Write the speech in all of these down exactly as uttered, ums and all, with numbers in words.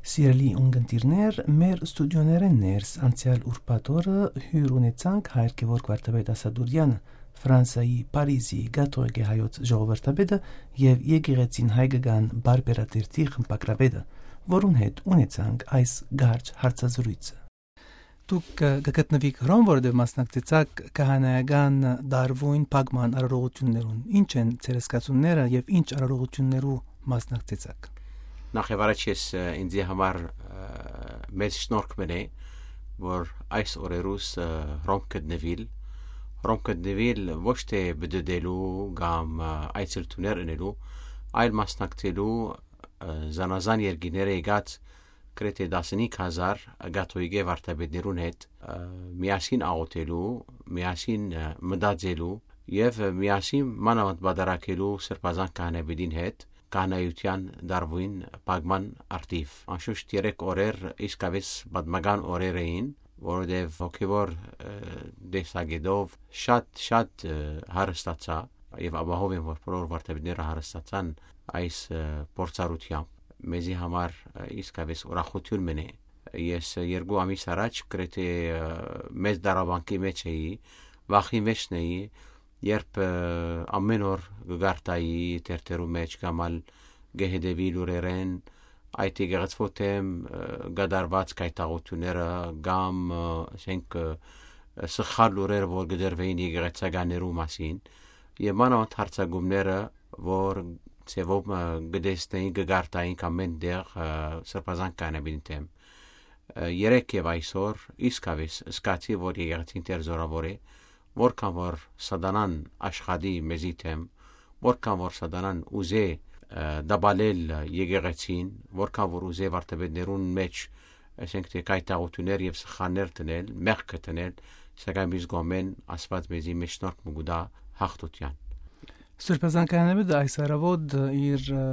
Սիրելի ունգընտիրներ, մեր ստուդիոներէն ներս անցեալ ուրբաթ օրը հիւր ունեցանք Հայր Գեորգ Վարդապետ Ասատուրեանը, Ֆրանսայի Փարիզի կաթողիկէ հայոց ժողովրդապետը եւ եկեղեցին հայկական բարբերատերթի խմբագրապետը, որուն հետ ունեցանք այս կարճ հարցազրոյցը։ Դուք, ը, կը գտնուիք Հռոմ, որովհետեւ մասնակցեցաք քահանայական տարուին փակման արարողություններուն։ Ի՞նչ են ձեր զգացումները եւ ի՞նչ արարողություններու մասնակցեցաք։ Նախ եւ առաջ ես, ը, ինձի համար, ը, մեծ շնորհք մնէ, որ այս օրերուս, ը, Հռոմ գտնուիլ, Հռոմ գտնուիլ ոչ թե բդդելու կամ, ը, այցելութիւններ ընելու, այլ մասնակցելու, ը, զանազան երկիրները եկած գրեթէ տասնհինգ հազար կաթողիկէ վարդապետներուն հետ, ը, միասին աղօթելու, միասին, ը, մտածելու եւ միասին մանաւանդ պատարագելու Սրբազան քահանայապետին հետ, քահանայութեան դարուին փակման առթիվ։ Անշուշտ երեք օրեր իսկապէս պատմական օրեր էին, որովհետեւ հոգեւոր, ը, տեսակետով շատ, շատ, ը, հարստացայ եւ ապահով եմ, որ բոլոր վարդապետները հարստացան այս, ը, փորձառությամբ։ Մեզի համար, ը, իսկապէս ուրախութիւն մնէ։ Ես երկու ամիս առաջ գրեթէ, ը, մեծ դարաբանքի մեջ էի, վախի մէջն էի, երբ, ը, ամէն օր կը կարդայի թերթերու մէջ կամ ալ կը հետևի լուրերէն, այդ եկեղեցւոյ դէմ, ը, կատարուած գայթակղութիւնները կամ, ը, ասենք, ը, սխալ լուրերը, որ կը տրուէին եկեղեցականներու մասին, եւ մանաւանդ յարձակումները, որ ձեւով, ը, կը տեսնէինք, կը կարդայինք ամէն տեղ, ը, Սրբազան քահանայապետին դէմ։ Ը, երեկ եւ այսօր իսկապէս զգացի, որ եկեղեցին դեռ զօրաւոր է, որքան որ սատանան աշխատի մեզի դէմ, որքան որ սատանան ուզէ, ը, տապալել եկեղեցին, որքան որ ուզէ վարդապետներուն մէջ, ասենք թէ, գայթակղութիւններ եւ սխալներ դնել, մեղքը դնել, սակայն մյուս կողմէն Աստուած մեզի մէջ շնորհք մը կու տայ յաղթութեան։ Սրբազան քահանայապետը այս առաւօտ իր, ը,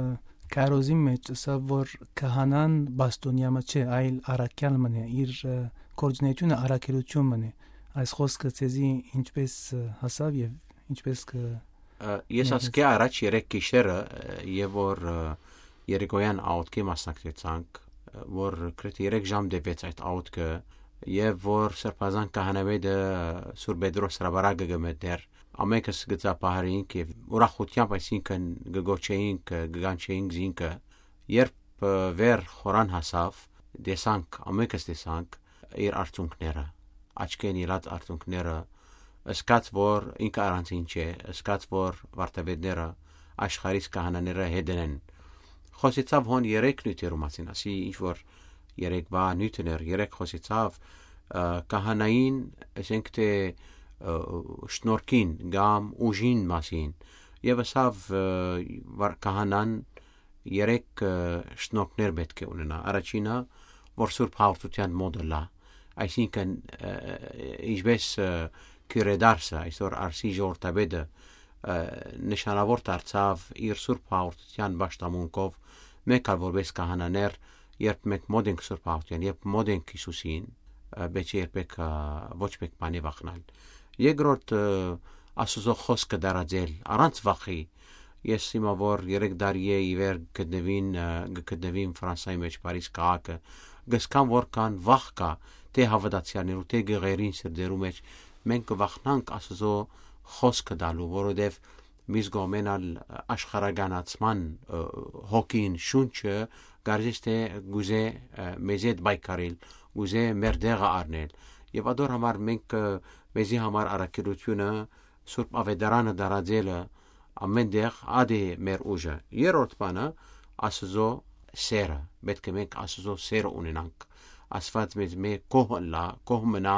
քարոզին մէջ ըսաւ, որ քահանան պաշտօնեայ մը չէ, այլ առաքեալ մըն է, իր, ը, գործունեութիւնը առաքելութիւն մըն է։ Այս խօսքը ձեզի ինչպէս, ը, հասաւ եւ ինչպէս կը Ը, ես ներես ասկէ առաջ երեկ գիշերը, ը, եւ որ, ը, երեկոյան աղօթքի մասնակցեցանք, ը, որ գրեթէ երեք ժամ տեւեց այդ աղօթքը, եւ որ Սրբազան քահանայապետը Սուրբ Պետրոս հրապարակը կը մտնէր, ամէնքս կը ծափահարէինք եւ ուրախութեամբ այսինքն կը գոչէինք, կը կանչէինք զինքը, երբ, ը, վեր խորան հասաւ, տեսանք, ամէնքս տեսանք իր արցունքները, աչքէն ելած արցունքները, զգաց որ ինքը առանձին չէ, զգաց որ վարդապետները, աշխարհիս քահանաները հետն են։ Խօսեցաւ հոն երեք նիւթերու մասին, ասի ինչ որ երեկվա նիւթն էր, երեք խօսեցաւ, ը, քահանային, ասենք թէ, ը, շնորհքին կամ ուժին մասին, եւ ըսաւ, ը, վար-, քահանան երեք, ը, շնորհքներ պէտք է ունենայ։ Առաջինը, որ Սուրբ Հաղորդութեան մօտ ըլլայ, այսինքն, ը, ինչպէս, ը, քիւրեդարսը, այսօր Արսի ժողովրդապետը, ը, նշանաւոր դարձաւ իր Սուրբ Հաղորդութեան պաշտամունքով, մենք ալ որպէս քահանաներ, երբ մենք մօտ ենք Սուրբ Հաղորդութեան, երբ մօտ ենք Յիսուսին, ը, պէտք է երբեք, ը, ոչ մէկ բանի վախնալ։ Երկրորդ, ը, Աստուծոյ խօսքը տարածել առանց վախի։ Ես հիմա որ երեք տարի է ի վեր գտնուին, ը, գ-, գտնուին Ֆրանսայի մեջ, Փարիզ քաղաքը, գսկան որքան վախ կա, թէ հաւատացեալներու, թէ գղերին սրտերու մեջ, մենք կը վախնանք Աստուծոյ խօսքը տալու, որովհետեւ միս կողմէն ալ աշխարհականացման, ը, հոգին, շունչը, կարծես թէ գուզէ, ը, մեզի հետ պայքարել, գուզէ մեր տեղը առնել։ Եւ ադոր համար մենք, ը, մեզի համար առաքելութիւնը, Սուրբ Աւետարանը տարածելը, ամէն տեղ ադէ մեր ուժը։ Երրորդ բանը, Աստուծոյ սերը, պէտք է մենք Աստուծոյ սերը ունենանք։ Աստուած մեզ մէ կոհ ըլլայ, կոհ մնայ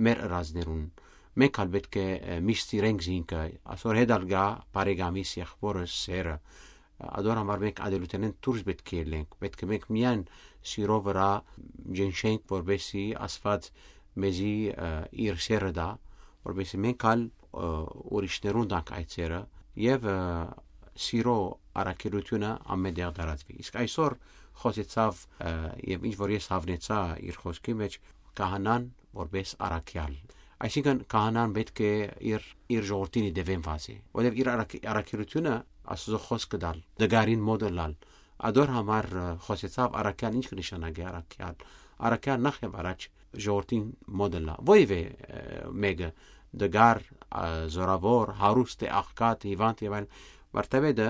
մեր ըրածներուն։ Մենք ալ պէտք է, ը, միշտ սիրենք զինքը, ասոր հետ ալ գայ բարեկամիս, եղբորս, սերը։ Ադոր համար մենք ադելութենէն դուրս պէտք է ելենք, պէտք է մենք միայն սիրո վրայ ջնշենք, որպեսզի Աստուած մեզի, ը, իր սերը տայ, որպեսզի մենք ալ, ը, ուրիշներուն տանք այդ սերը եւ, ը, սիրո առաքելութիւնը ամէն տեղ տարածուի։ Իսկ այսօր խօսեցաւ, ը, եւ ինչ որ ես հաւնեցայ իր խօսքի մեջ, քահանան որպէս առաքեալ։ Այսինքն քահանան պէտք է իր, իր ժողովրդին ի դեւեն վազի, որովհետեւ իր առաք-, առաքելութիւնը Աստուծոյ խօսքը տալ, դգարին մօտ ըլլալ, Ադոր համար, ը, խօսեցաւ առաքեալ ինչ կը նշանակէ առաքեալ։ Առաքեալ նախ եւ առաջ ժողովրդին մօտ ըլլայ։ Ոեւէ, ը, մէկը, տկար, ը, զօրաւոր, հարուստ է, աղքատ, հիւանդ եւ այլն, վարդապետը,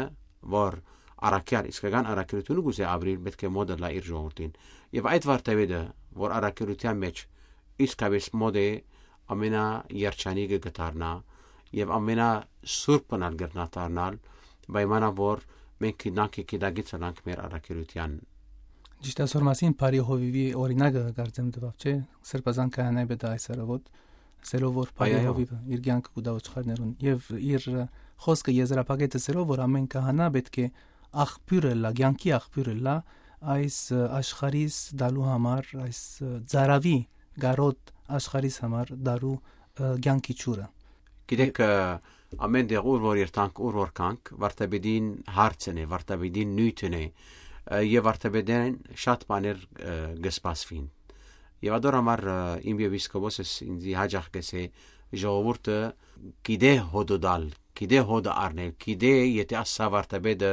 որ առաքեալ, իսկական առաքելութիւնը կ'ուզէ ապրիլ, պէտք է մօտ ըլլայ իր ժողովրդին։ Եւ այդ վարդապետը, որ առաքելութեան մէջ իսկապէս մօտ է, ամենաերջանիկը կը դառնայ եւ ամենասուրբն ալ կրնայ դառնալ, պայմանով որ մենք գիտնանք եւ գիտակից ըլանք մեր առաքելութեան։ Ճիշդ է, ասոր մասին բարի հովիւի օրինակը կարծեմ տուաւ, չէ՞, Սրբազան քահանայ պետ այս արաւոտ, ասելով որ բարի Այո, այո։ հովիւը իր կեանքը կու տայ ոչխարներուն, եւ իր, ը, խօսքը եզրափակեց ասելով որ ամէն քահանայ պէտք է աղբիւր ըլլայ, կեանքի աղբիւր ըլլայ այս, ը, աշխարհիս տալու համար, այս, ը, ծարաւի կարօտ աշխարհիս համար տալու, ը, կեանքի ջուրը։ Գիտեք, ը, ամէն տեղ ուր որ երթանք, ուր որ գանք, վարդապետին հարցն է, վարդապետին նիւթն է, ը, եւ վարդապետեն շատ բաներ, ը, կը սպասուին։ Եւ ադոր համար, ը, իմ եպիսկոպոսս ինձի յաճախ կ'ըսէ, ժողովուրդը գիտէ հօտը տալ, գիտէ հօտը առնել, գիտէ եթէ ասա վարդապետը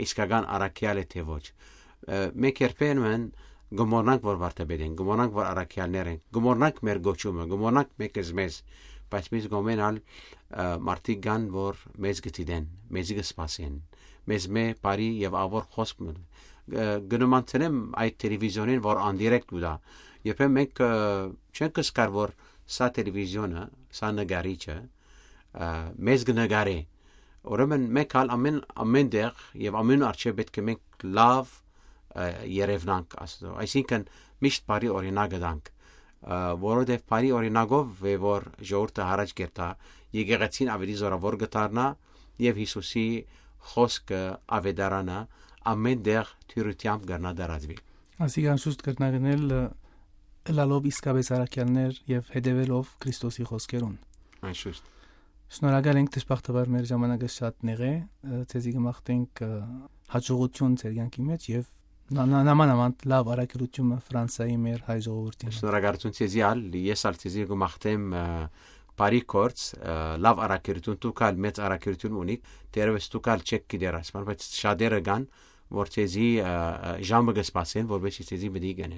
իսկական առաքեալ է թէ ոչ։ Ը, մենք երբեմն կը մոռնանք որ վարդապետ ենք, կը մոռնանք որ առաքեալներ ենք, կը մոռնանք մեր կոչումը, կը մոռնանք մէկզմեզ, բայց մյուս կողմէն ալ, ը, մարդիկ կան որ մեզ կը դիտեն, մեզի կը սպասեն, մեզմէ բարի եւ աղաւոր խօսք մը, ը, կը նմանցնեմ այդ տելեվիզիոնին որ անդիրեկտ կու տայ։ Երբեմն մենք, ը, չենք կսկար որ սա տելեվիզիոնը, սա նկարիչը, ը, մեզ կը նկարէ։ Ուրեմն մենք ալ ամէն, ամէն տեղ եւ ամէն առջեւ պէտք է մենք լաւ, ը, երեւնանք Աստծո։ Այսինքն միշտ բարի օրինակը տանք, ը, որովհետեւ բարի օրինակով է որ ժողովուրդը յառաջ կերթայ, եկեղեցին աւելի զօրաւոր կը դառնայ եւ Յիսուսի խօսքը, աւետարանը ամէն տեղ դիւրութեամբ կրնայ տարածուի։ Ասիկա անշուշտ կրնայ գնել, ը, ըլալով իսկապէս առաքեալներ եւ հետեւելով Քրիստոսի խօսքերուն։ Անշուշտ։ Շնորհակալ ենք, դժբախտաբար մեր ժամանակը շատ նեղ է, ը, ձեզի կը մաղթենք, ը, հաջողություն ձեր կեանքի մէջ եւ նա-, նա-, նամանաման լաւ առաքելութիւնը Ֆրանսայի մեր հայ ժողովուրդին հետ։ Շնորհակալություն ձեզի ալ, ես ալ ձեզի կը մաղթեմ, ը, բարի գործ, ը, լաւ առաքելութիւն, դուք ալ մեծ առաքելութիւն ունիք, դեռեւս դուք ալ չեք գիտեր ասման, բայց շատերը կան, որ ձեզի, ը, ը, ժամը կը սպասեն, որպեսզի ձեզի մտիկ ընեն։